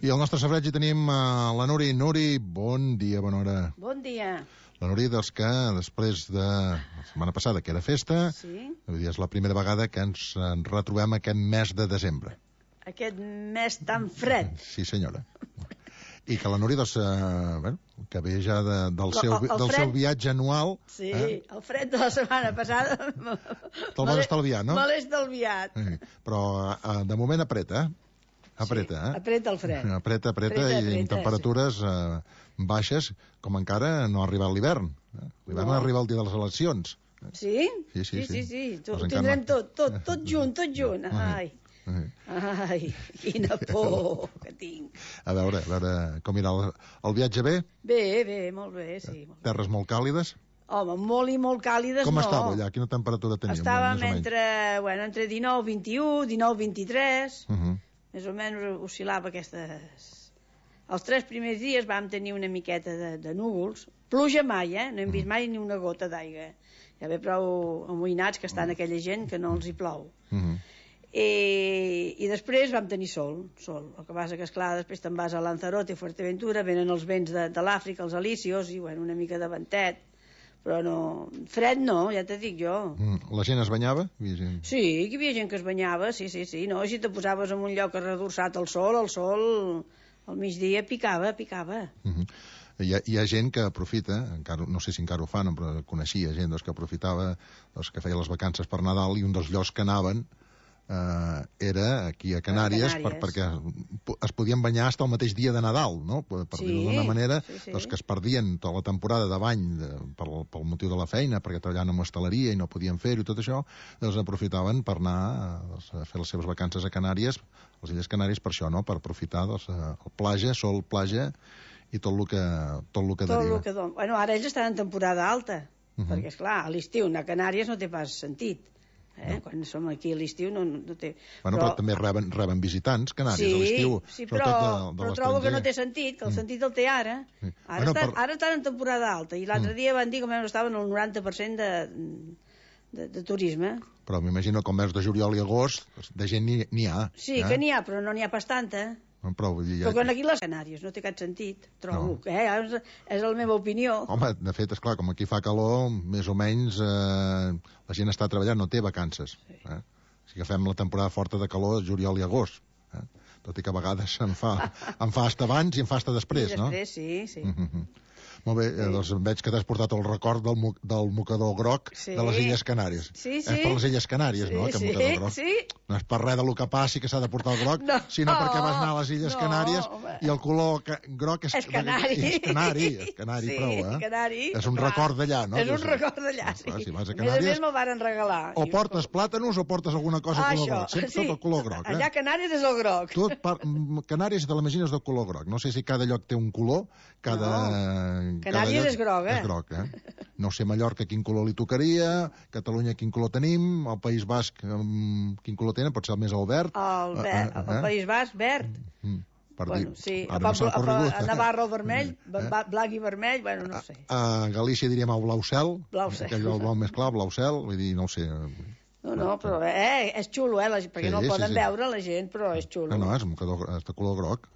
I al nostre safareig hi tenim la Núria. Núria, bon dia, bona hora. Bon dia. La Núria, dels que després de la setmana passada, que era festa, vull dir, és la primera vegada que ens retrobem aquest mes de desembre. Aquest mes tan fred. Sí, senyora. I que la Núria, doncs, que ve ja del seu viatge anual... Sí, el fred de la setmana passada... Te'l vas estalviar, no? Me l'he estalviat. Però, de moment, apreta, Apreta, sí, apreta el fred. Apreta, i amb temperatures baixes, com encara no ha arribat l'hivern. L'hivern arriba el dia de les eleccions. Sí? Sí. Ho tindrem tot junt. Ai, quina por que tinc. A veure, com irà el viatge, bé? Bé, molt bé, sí. Terres molt càlides? Home, molt i molt càlides, no. Com estava allà? Quina temperatura teníem? Estàvem entre 19, 21, 19, 23... Més o menys oscil·lava aquestes... Els 3 primers dies vam tenir una miqueta de núvols. Pluja mai, no hem vist mai ni una gota d'aigua. Ja ve prou amoïnats que estan aquella gent que no els hi plou. I després vam tenir sol. El que passa que, esclar, després te'n vas a Lanzarote, a Fuerteventura, venen els vents de l'Àfrica, els alísios, i una mica de ventet. Però no, fred no, ja te dic jo. La gent es banyava? Sí, hi havia gent que es banyava, sí. No, si te posaves en un lloc redorçat al sol, al migdia picava. Hi ha gent que aprofita, encara, no sé si encara ho fan, però coneixia gent que aprofitava, que feia les vacances per Nadal, i un dels llocs que anaven era aquí a Canàries, perquè es podien banyar fins al mateix dia de Nadal, no? Per dir-ho d'una manera, que es perdien tota la temporada de bany pel motiu de la feina, perquè treballaven en hostaleria i no podien fer-ho i tot això, doncs aprofitaven per anar a fer les seves vacances a Canàries, a les Illes Canàries, per això, no? Per aprofitar el platja, sol, platja i tot el que deriva. Bueno, ara ells estan en temporada alta, perquè, esclar, a l'estiu anar a Canàries no té pas sentit. Quan som aquí a l'estiu no té... Però també reben visitants Canàries a l'estiu. Sí, però trobo que no té sentit, que el sentit el té ara. Ara estan en temporada alta, i l'altre dia van dir que estaven al 90% de turisme. Però m'imagino que al mes de juliol i agost de gent n'hi ha. Sí, que n'hi ha, però no n'hi ha pas tanta. Però quan aquí les Canàries no té cap sentit, trobo, és la meva opinió. Home, de fet, esclar, com aquí fa calor, més o menys la gent està treballant, no té vacances. Si agafem la temporada forta de calor, juliol i agost, tot i que a vegades em fa hasta abans i em fa hasta després, no? Després, sí. Molt bé, doncs veig que t'has portat el record del mocador groc de les Illes Canàries. Sí. És per les Illes Canàries, no, aquest mocador groc? Sí. No és per res del que passi que s'ha de portar el groc, sinó perquè vas anar a les Illes Canàries i el color groc és canari. És canari, prou, És un record d'allà, no? És un record d'allà, sí. Si vas a Canàries... A més me'l varen regalar. O portes plàtanos o portes alguna cosa de color groc. Sempre tot el color groc. Allà Canàries és el groc. Canàries te l'imagines de color groc. No sé si cada lloc té un color, Canàries és groc, És groc, No sé Mallorca quin color li tocaria, Catalunya quin color tenim, el País Basc quin color tenen, pot ser el més el verd. El País Basc, verd. Sí, a Navarra el vermell, blanc i vermell, no sé. A Galícia diríem el blau cel, aquell blau més clar, blau cel, vull dir, no ho sé. No, però és xulo, perquè no el poden veure la gent, però és xulo. No, és de color groc,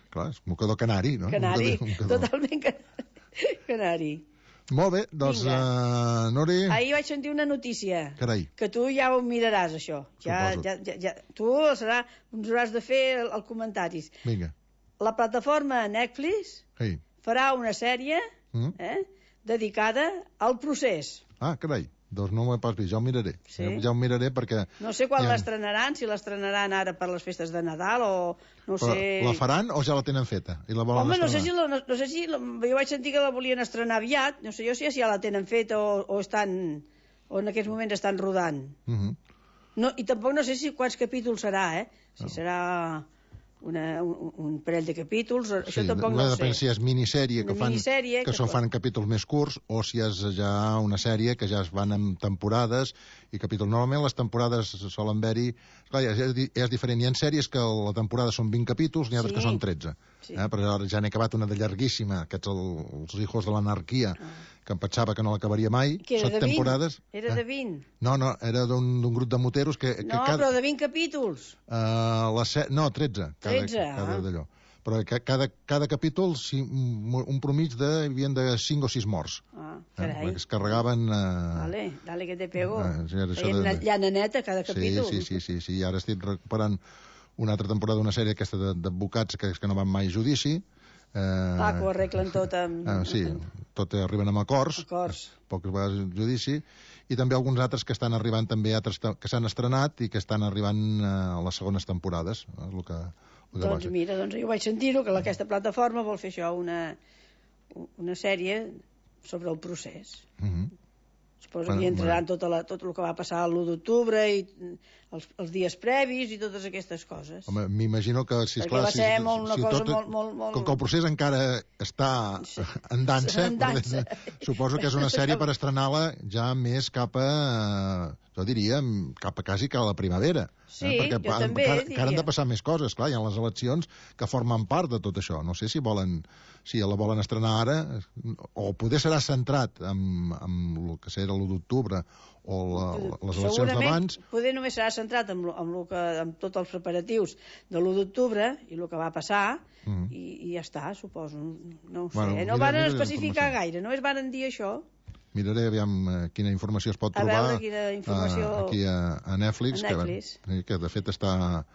clar, és mocador canari, no? Canari, totalment canari. Molt bé, doncs, Nori... Ahir vaig sentir una notícia. Carai. Que tu ja ho miraràs, això. Tu ens hauràs de fer els comentaris. Vinga. La plataforma Netflix farà una sèrie dedicada al procés. Carai. Doncs no m'ho he pas vist, ja ho miraré. Ja ho miraré perquè... No sé quan l'estrenaran, si l'estrenaran ara per les festes de Nadal o no sé... La faran o ja la tenen feta? Home, no sé si jo vaig sentir que la volien estrenar aviat, no sé jo si ja la tenen feta o en aquests moments estan rodant. I tampoc no sé quants capítols serà, si serà un parell de capítols, això tampoc no sé. Depèn si és minissèrie que fan capítols més curts o si és ja una sèrie que ja es van en temporades i capítols. Normalment les temporades solen haver-hi... Clar, és diferent. Hi ha sèries que la temporada són 20 capítols, n'hi ha que són 13. Però ara ja n'he acabat una de llarguíssima, aquests els hijos de l'anarquia, que em pensava que no l'acabaria mai. Que era de 20? Era de 20? No, era d'un grup de moteros que... No, però de 20 capítols. No, 13. 13, cada d'allò. però cada capítol un promig hi havia de 5 o 6 morts. Carai. Es carregaven... Dale que te pego. Feien una llana neta cada capítol. Sí, i ara estic recuperant una altra temporada d'una sèrie aquesta d'advocats que no van mai a judici. Que ho arreglen tot amb... Sí, tot arriben amb acords. Poques vegades a judici. I també alguns altres que estan arribant també, altres que s'han estrenat i que estan arribant a les segones temporades. És el que doncs mira, jo vaig sentir-ho, que aquesta plataforma vol fer això, una sèrie sobre el procés. Suposo que hi entraran tot el que va passar l'1 d'octubre i els dies previs i totes aquestes coses. Home, m'imagino que, sisplau, com que el procés encara està en dansa, suposo que és una sèrie per estrenar-la ja més cap a, jo diria, quasi a la primavera. Sí, jo també diria. Encara han de passar més coses, clar, hi ha les eleccions que formen part de tot això. No sé si la volen estrenar ara, o poder serà centrat en el que serà l'1 d'octubre o les eleccions d'abans. Segurament poder només serà centrat amb tots els preparatius de l'1 d'octubre i el que va passar i ja està, suposo. No ho sé, no van especificar gaire, no es van dir això. Miraré aviam quina informació es pot trobar aquí a Netflix, que de fet està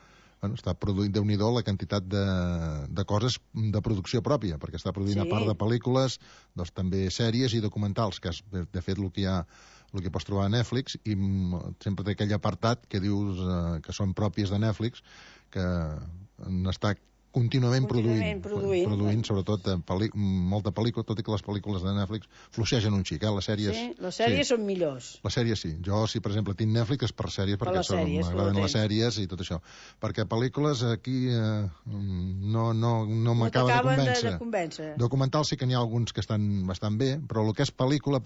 produint Déu-n'hi-do la quantitat de coses de producció pròpia, perquè està produint, a part de pel·lícules, doncs també sèries i documentals, que és de fet el que pots trobar a Netflix, i sempre té aquell apartat que dius que són pròpies de Netflix, que n'està contínuament produint sobretot molta pel·lícula, tot i que les pel·lícules de Netflix fluixegen un xic, les sèries... Sí, les sèries són millors. Les sèries sí. Jo, si per exemple tinc Netflix, és per sèries, perquè m'agraden les sèries i tot això. Perquè pel·lícules aquí no m'acaba de convèncer. Documentals sí que n'hi ha alguns que estan bastant bé, però el que és pel·lícula,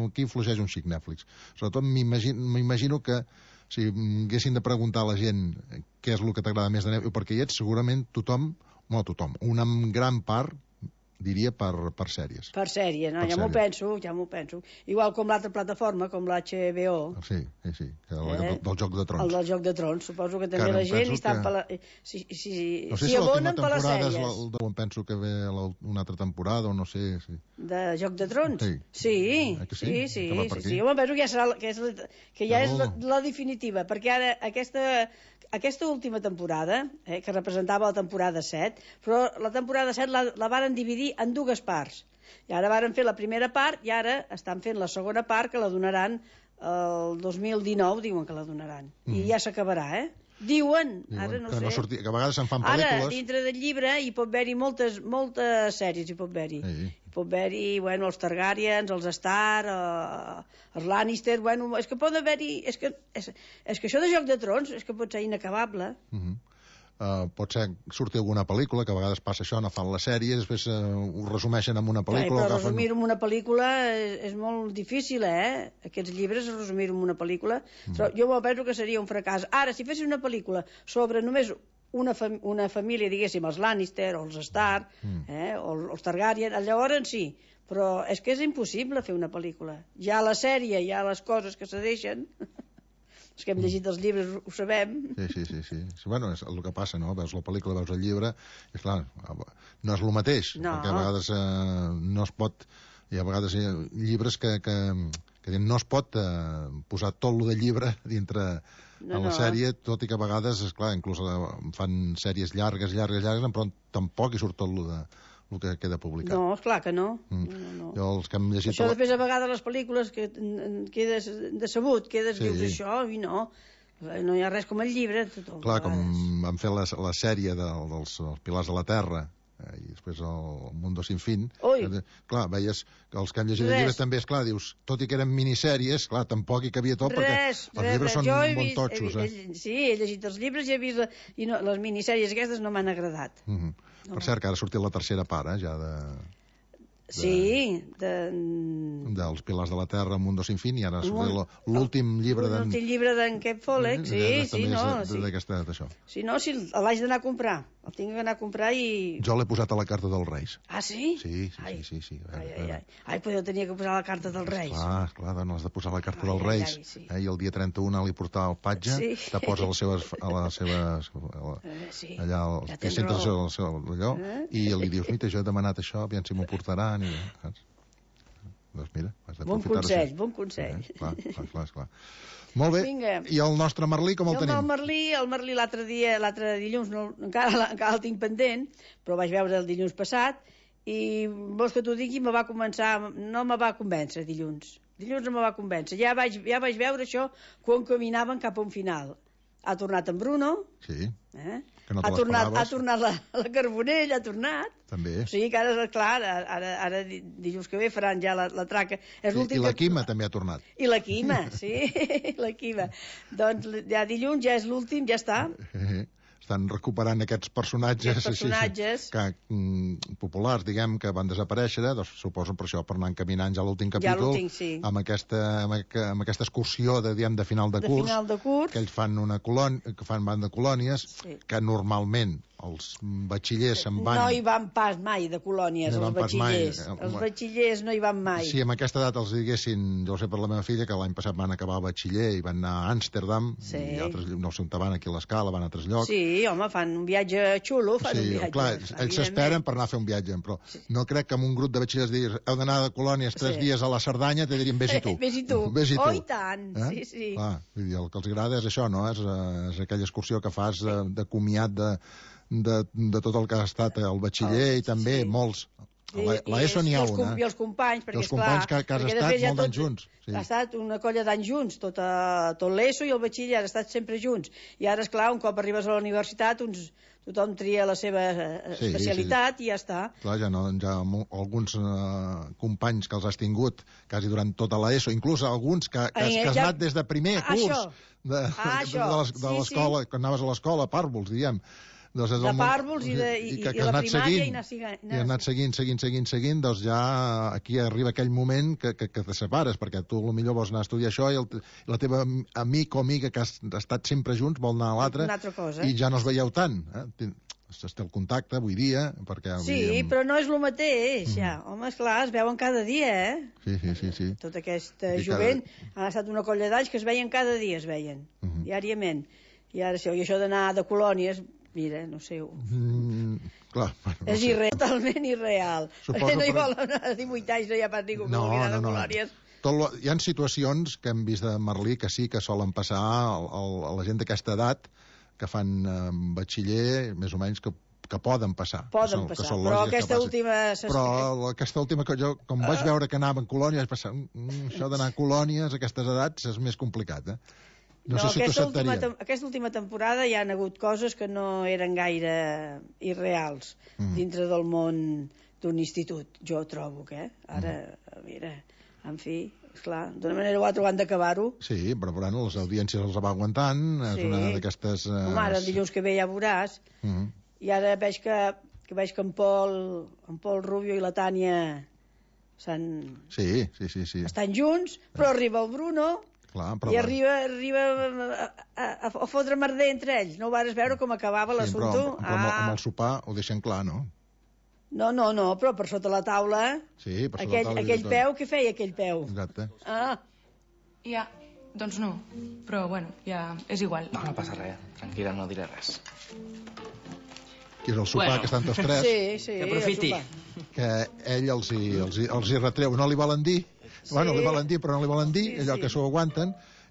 aquí fluixeix un xic Netflix. Sobretot m'imagino que si haguessin de preguntar a la gent què és el que t'agrada més de Netflix, perquè hi ets segurament una gran part, diria, per sèries. Per sèries, no? Ja m'ho penso. Igual com l'altra plataforma, com l'HBO. Sí, del Joc de Trons. El del Joc de Trons, suposo que també la gent està s'hi abonen per les sèries. Em penso que ve una altra temporada, o no sé... De Joc de Trons? Sí. Jo penso que ja és la definitiva, perquè ara aquesta última temporada, que representava la temporada 7, però la temporada 7 la varen dividir en dues parts. I ara varen fer la primera part i ara estan fent la segona part, que la donaran el 2019, diuen que la donaran. I ja s'acabarà, Diuen, ara no sé. Que a vegades se'n fan pel·lícules. Ara, dintre del llibre, hi pot haver-hi moltes sèries, hi pot haver-hi. Hi pot haver-hi, els Targaryens, els Stark, els Lannister, és que pot haver-hi... És que això de Joc de Trons és que pot ser inacabable. Pot ser sortir alguna pel·lícula, que a vegades passa això, no fan la sèrie, després ho resumeixen en una pel·lícula. Però resumir-ho en una pel·lícula és molt difícil, Aquests llibres, resumir-ho en una pel·lícula. Jo penso que seria un fracàs. Ara, si fessin una pel·lícula sobre només una família, diguéssim, els Lannister o els Stark, o els Targaryen, llavors sí, però és que és impossible fer una pel·lícula. Ja la sèrie, ja les coses que se deixen... Els que hem llegit els llibres ho sabem. Sí. Bueno, és el que passa, no? Veus la pel·lícula, veus el llibre, i clar, no és el mateix, perquè a vegades no es pot... Hi ha vegades llibres que no es pot posar tot el de llibre dintre en la sèrie, tot i que a vegades, esclar, inclús fan sèries llargues, però tampoc hi surt tot el que queda publicat. No, esclar que no. Jo, els que hem llegit... Això després a vegades les pel·lícules que quedes decebut, dius això i no hi ha res com el llibre. Clar, com van fer la sèrie dels Pilars de la Terra i després el Mundo Sin Fin, clar, veies que els que han llegit el llibre també, esclar, dius, tot i que eren minissèries, clar, tampoc hi cabia tot, perquè els llibres són molt totxos. Sí, he llegit els llibres i he vist... I les minissèries aquestes no m'han agradat. Per cert, que ara ha sortit la tercera part, ja de... dels Pilars de la Terra, Mundo Sin Fin, i ara ha sortit l'últim llibre d'en Cap Follett, sí, no. D'aquesta, d'això. Sí, no, si l'haig d'anar a comprar. El tinc que anar a comprar i... Jo l'he posat a la carta dels Reis. Ah, sí? Sí. Ai, però jo tenia que posar la carta dels Reis. Clar, no has de posar la carta dels Reis. Sí. I el dia 31 li portava el patge, te posa allà al centre d'allò, i li dius, mira, jo he demanat això, aviam si m'ho portaran, i... Doncs mira, has d'aprofitar. Bon consell. Clar. Molt bé. Vinga. I el nostre Merlí com el tenim? El Merlí l'altre dilluns, encara el tinc pendent, però vaig veure el dilluns passat, i vols que t'ho digui, no me va convèncer dilluns. Dilluns no me va convèncer. Ja vaig veure això quan caminaven cap a un final. Ha tornat en Bruno. Sí. Que no ha tornat la Carbonell, ha tornat. També. O sigui que ara, clar, ara dilluns que ve faran ja la traca. I la Quima també ha tornat. I la Quima, sí, la Quima. Doncs ja dilluns ja és l'últim, ja està. Estan recuperant aquests personatges populars, diguem, que van desaparèixer, doncs suposo per això, per anar encaminant ja l'últim capítol, amb aquesta excursió de final de curs, que ells fan van de colònies, que normalment els batxillers se'n van... No hi van pas mai de colònies, els batxillers. Els batxillers no hi van mai. Si amb aquesta edat els diguessin, jo ho sé per la meva filla, que l'any passat van acabar el batxiller i van anar a Amsterdam, i altres, no sé on van, aquí a l'Escala, van a altres llocs. Sí, home, fan un viatge xulo, clar, ells s'esperen per anar a fer un viatge, però no crec que amb un grup de batxillers diguis, heu d'anar de colònies 3 dies a la Cerdanya, te dirien, vés-hi tu. Vés-hi tu. Oh, i tant, sí. Clar, el que els agrada és això, no? És aquella excursió que fas de comiat de tot el que ha estat el batxiller, i també molts. L'ESO n'hi ha una. I els companys, perquè que has estat molt d'anys junts. Ha estat una colla d'anys junts, tot l'ESO i el batxiller han estat sempre junts. I ara, esclar, un cop arribes a la universitat, tothom tria la seva especialitat i ja està. Clar, ja alguns companys que els has tingut quasi durant tota l'ESO, inclús alguns que has anat des de primer curs de l'escola, quan anaves a l'escola, pàrvols, diguem, de pàrvols i la primària, i has anat seguint, doncs ja aquí arriba aquell moment que te separes, perquè tu potser vols anar a estudiar això i la teva amic o amiga que has estat sempre junts vol anar a l'altre i ja no es veieu tant. Es té el contacte avui dia, perquè... Sí, però no és el mateix, ja. Home, esclar, es veuen cada dia, Sí. Tota aquesta jovent ha estat una colla d'anys que es veien cada dia, diàriament. I ara sí, i això d'anar de colònies... Mira, no sé... Clar, és totalment irreal. No hi vol anar a 18 anys, no hi ha pas ningú que vulgui anar de colònies. Hi ha situacions que hem vist de Merlí que sí que solen passar a la gent d'aquesta edat, que fan batxiller, més o menys, que poden passar. Però aquesta última... Però aquesta última, que jo, com vaig veure que anaven colònies, vaig pensar, això d'anar a colònies a aquestes edats és més complicat, No sé si t'ho acceptaria. Aquesta última temporada hi ha hagut coses que no eren gaire irreals dintre del món d'un institut, jo trobo que ara, mira, en fi, esclar, d'una manera o altra ho han d'acabar-ho. Sí, però bueno, les audiències els va aguantant, és una d'aquestes... Ara, el dilluns que ve ja veuràs, i ara veig que en Pol Rubio i la Tània estan junts, però arriba el Bruno... Clar, i arriba a fotre merder entre ells. No ho vas veure com acabava l'assumpte? Però amb el sopar ho deixen clar, no? No, però per sota la taula... Sí, per sota la taula... Aquell peu, què feia aquell peu? Exacte. Ja, doncs no. Però, bueno, ja és igual. No passa res, tranquil·la, no diré res. Que és el sopar que estan tots tres. Sí, que aprofiti. Que ell els hi retreu. No li volen dir... Bueno, li volen dir, però no li volen dir, allò que s'ho aguanten,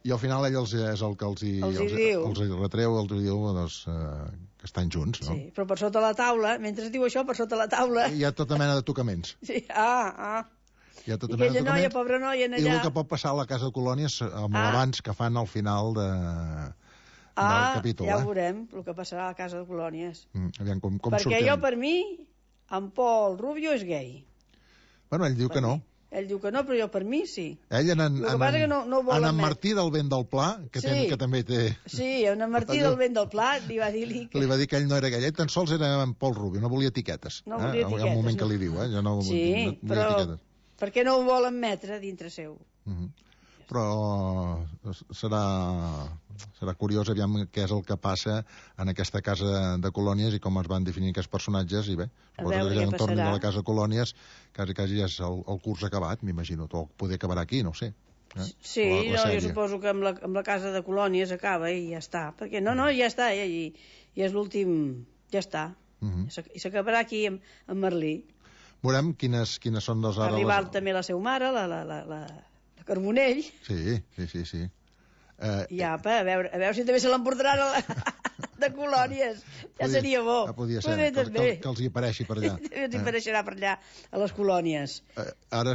i al final ell és el que els hi retreu, els diu que estan junts, no? Sí, però per sota la taula, mentre diu això, per sota la taula... Hi ha tota mena de tocaments. Sí, Hi ha tota mena de tocaments. Noia, pobra noia, allà... I el que pot passar a la casa de colònies amb l'abans que fan al final del capítol. Ja veurem el que passarà a la casa de colònies. Aviam, com perquè sortem. Jo, per mi, en Pol Rubio és gay. Bueno, ell diu que no. Ell diu que no, però jo per mi sí. Ell en Martí del Vent del Pla, que també té... Sí, en Martí del Vent del Pla li va dir... Li va dir que ell no era gay, ell tan sols era en Pol Rubio, no volia etiquetes. No volia etiquetes. En el moment que li diu, Sí, però per què no ho vol admetre dintre seu? però serà curiós aviam què és el que passa en aquesta casa de colònies i com es van definir aquests personatges, i bé, suposo que ja en torn de la casa de colònies quasi ja és el curs acabat, m'imagino, o poder acabar aquí, no ho sé. Sí, jo suposo que amb la casa de colònies acaba i ja està, perquè ja està, i és l'últim, ja està, i s'acabarà aquí amb Merlí. Veurem quines són les ara... Arribar també la seva mare, la Carbonell. Sí. I apa, a veure si també se l'emportaran de colònies. Ja seria bo. Podria ser, que els hi apareixi per allà. Els hi apareixerà per allà, a les colònies. Ara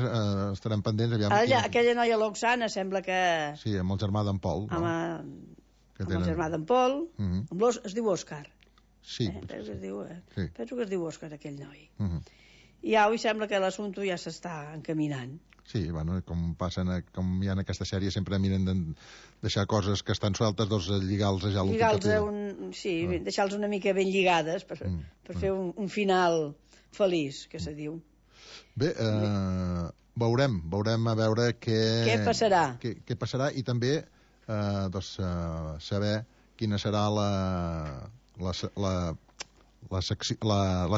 estarem pendents. Aquella noia l'Oxana sembla que... Sí, amb el germà d'en Pol. Amb el germà d'en Pol. Es diu Òscar. Sí. Penso que es diu Òscar, aquell noi. I avui sembla que l'assumpte ja s'està encaminant. Sí, bueno, com hi ha en aquesta sèrie, sempre miren de deixar coses que estan sueltes, lligar-los a deixar-los una mica ben lligades per fer un final feliç, que se diu. Bé, veurem a veure què passarà i també saber quina serà la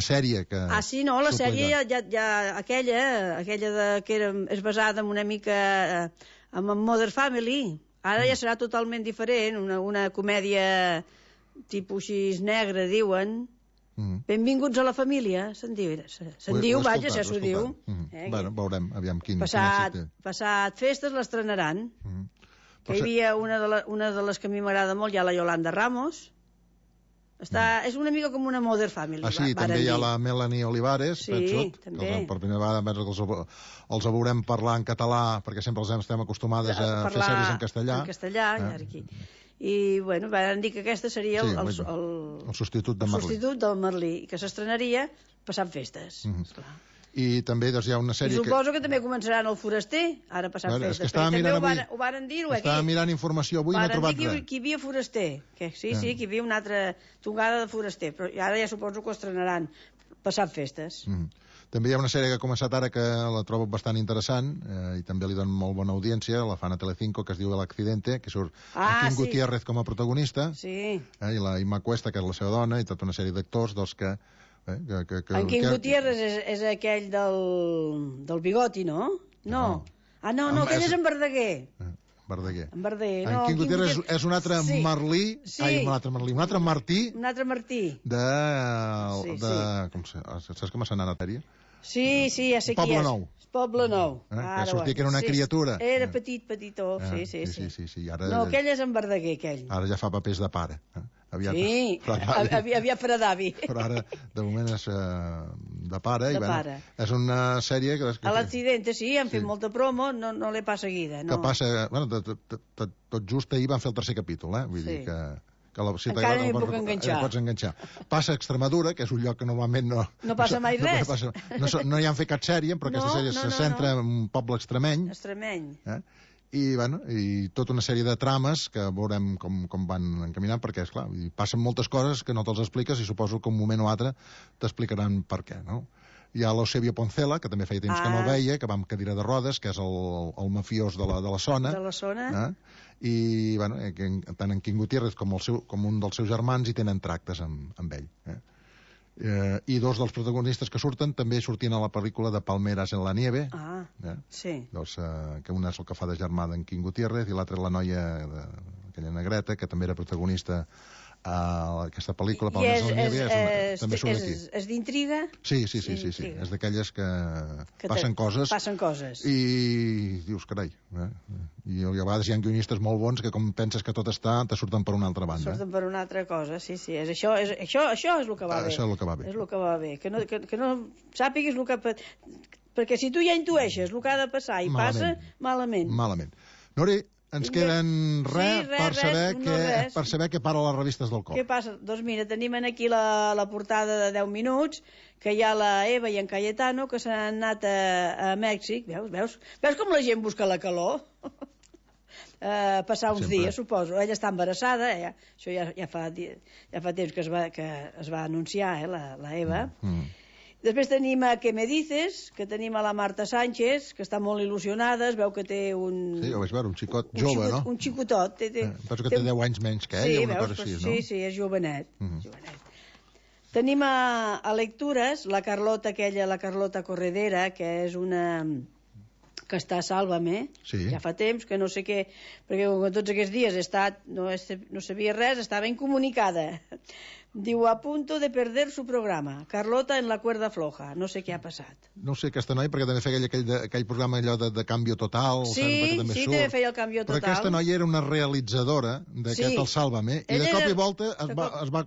sèrie que... sí, no, la sèrie aquella que és basada en una mica en Modern Family. Ara ja serà totalment diferent, una comèdia tipus així negra, diuen. Benvinguts a la família, se'n diu, vaja, ja s'ho diu. Bueno, veurem, aviam quin... Passat festes l'estrenaran. Que hi havia una de les que a mi m'agrada molt, hi ha la Yolanda Ramos. És una mica com una Modern Family. Sí, també hi ha la Melanie Olivares, també. Que per primera vegada els veurem parlar en català, perquè sempre els estem acostumades a fer sèries en castellà. En castellà, i bueno, van dir que aquesta seria el substitut del Merlí, que s'estrenaria passant festes, esclar. I també hi ha una sèrie I suposo que també començaran el Foraster, ara passant festes. És que estava mirant avui, estava mirant informació avui i no he trobat res. Que hi havia Foraster, que hi havia una altra tongada de Foraster, però ara ja suposo que ho estrenaran passant festes. També hi ha una sèrie que ha començat ara que la trobo bastant interessant i també li donen molt bona audiència, la fan a Telecinco, que es diu El Accidente, que surt Kim Gutiérrez com a protagonista, i la Imma Cuesta, que és la seva dona, i tota una sèrie d'actors que en Quim Gutiérrez és aquell del bigoti, no? No, aquell és en Verdaguer. En Quim Gutiérrez és un altre Merlí, un altre Martí. Un altre Martí. Saps com s'ha anat a la sèrie? Sí, ja sé qui és. Poble Nou. Que sortia que era una criatura. Era petitó, sí. No, aquell és en Verdaguer, aquell. Ara ja fa papers de pare. Aviat farà d'avi. Però ara, de moment, és de pare. És una sèrie que... A l'Accidente, sí, han fet molta promo, no l'he pas seguida. Que passa... Tot just ahir van fer el tercer capítol, vull dir que... Encara m'hi puc enganxar. Passa a Extremadura, que és un lloc que normalment no passa mai res. No hi han fet cap sèrie, però aquesta sèrie se centra en un poble extremeny. I tota una sèrie de trames que veurem com van encaminant, perquè, esclar, passen moltes coses que no te'ls expliques i suposo que un moment o altre t'explicaran per què, no? Hi ha l'Eusebio Poncela, que també feia temps que no el veia, que va amb cadira de rodes, que és el mafiós de la zona. De la zona. I, bueno, tant en Quim Gutiérrez com un dels seus germans hi tenen tractes amb ell. I dos dels protagonistes que surten també sortien a la pel·lícula de Palmeras en la nieve. Que una és el que fa de germà d'en Quim Gutiérrez i l'altra és la noia, aquella negreta, que també era protagonista a aquesta pel·lícula Palmeras en la nieve, també surt aquí. És d'intriga? Sí, és d'aquelles que passen coses i dius, carai, i a vegades hi ha guionistes molt bons que com penses que tot està, te surten per una altra banda. Surten per una altra cosa, sí, això és el que va bé. Això és el que va bé. És el que va bé, que no sàpiguis el que... Perquè si tu ja intueixes el que ha de passar i passa, malament. Nori, ens queden per saber què para les revistes del cor. Què passa? Doncs mira, tenim aquí la portada de 10 minuts, que hi ha la Eva i en Cayetano, que s'han anat a Mèxic. Veus com la gent busca la calor? Passar uns dies, suposo. Ella està embarassada, això ja fa temps que es va anunciar, la Eva. Després tenim a Què me dices, que tenim a la Marta Sánchez, que està molt il·lusionada, es veu que té un... Sí, ho vaig veure, un xicot jove, no? Un xicotot. Penso que té 10 anys menys que ell, una cosa així, no? Sí, és jovenet. Tenim a lectures la Carlota aquella, la Carlota Corredera, que és una... que està a Sálvame, ja fa temps, que no sé què, perquè tots aquests dies he estat, no sabia res, estava incomunicada. Diu, a punto de perder su programa. Carlota en la cuerda floja. No sé què ha passat. No sé, aquesta noia, perquè també feia aquell programa allò de Cambio Total. Sí, també feia el Cambio Total. Però aquesta noia era una realitzadora d'aquest El Sálvame, i de cop i volta es va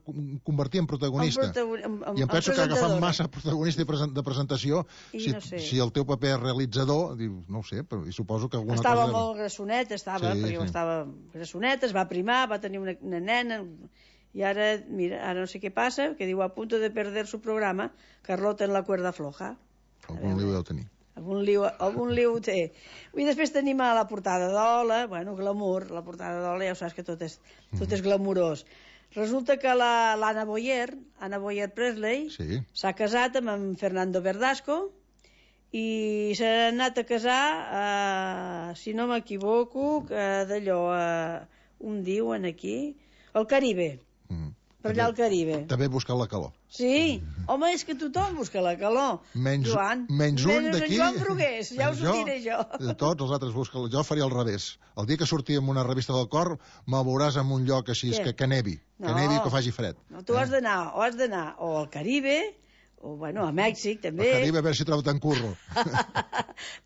convertir en protagonista. I em penso que ha agafat massa protagonista de presentació. Si el teu paper és realitzador, dius, no ho sé, però suposo que alguna cosa... Estava molt grassoneta, perquè estava grassoneta, es va primar, va tenir una nena... I ara, mira, ara no sé què passa, que diu, a punto de perder su programa, Carlota en la cuerda floja. Algun liu deu tenir. Algun liu té. I després tenim a la portada d'Ola, bueno, glamour, la portada d'Ola ja ho saps que tot és glamurós. Resulta que l'Anna Boyer Presley, s'ha casat amb en Fernando Verdasco i s'ha anat a casar, si no m'equivoco, d'allò, on diuen aquí, al Caribe. Per allà al Caribe. També busca la calor. Sí, home, és que tothom busca la calor. Menys un d'aquí. Joan Brugués, ja us ho diré jo. De tots els altres busca. Jo faria al revés. El dia que surti en una revista del cor, me'l veuràs en un lloc així, que nevi. Que nevi, que faci fred. No, tu has d'anar o al Caribe, o, bueno, a Mèxic, també. Al Caribe, a veure si trobo tant curro.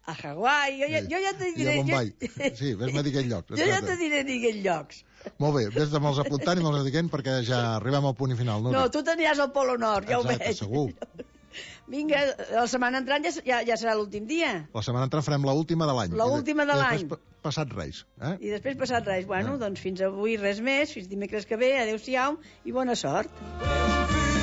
A Hawaii, jo ja te diré... I a Bombay. Sí, ves-me dir aquells llocs. Jo ja te diré aquells llocs. Molt bé, ves de me'ls apuntant i me'ls diguent perquè ja arribem al punt final. No, tu t'aniràs al Polo Nord, ja ho veig. Exacte, segur. Vinga, la setmana entrant ja serà l'últim dia. La setmana entrant farem l'última de l'any. L'última de l'any. I després passat Reis. I després passat Reis. Bueno, doncs fins avui res més, fins dimecres que ve, adéu-siau i bona sort.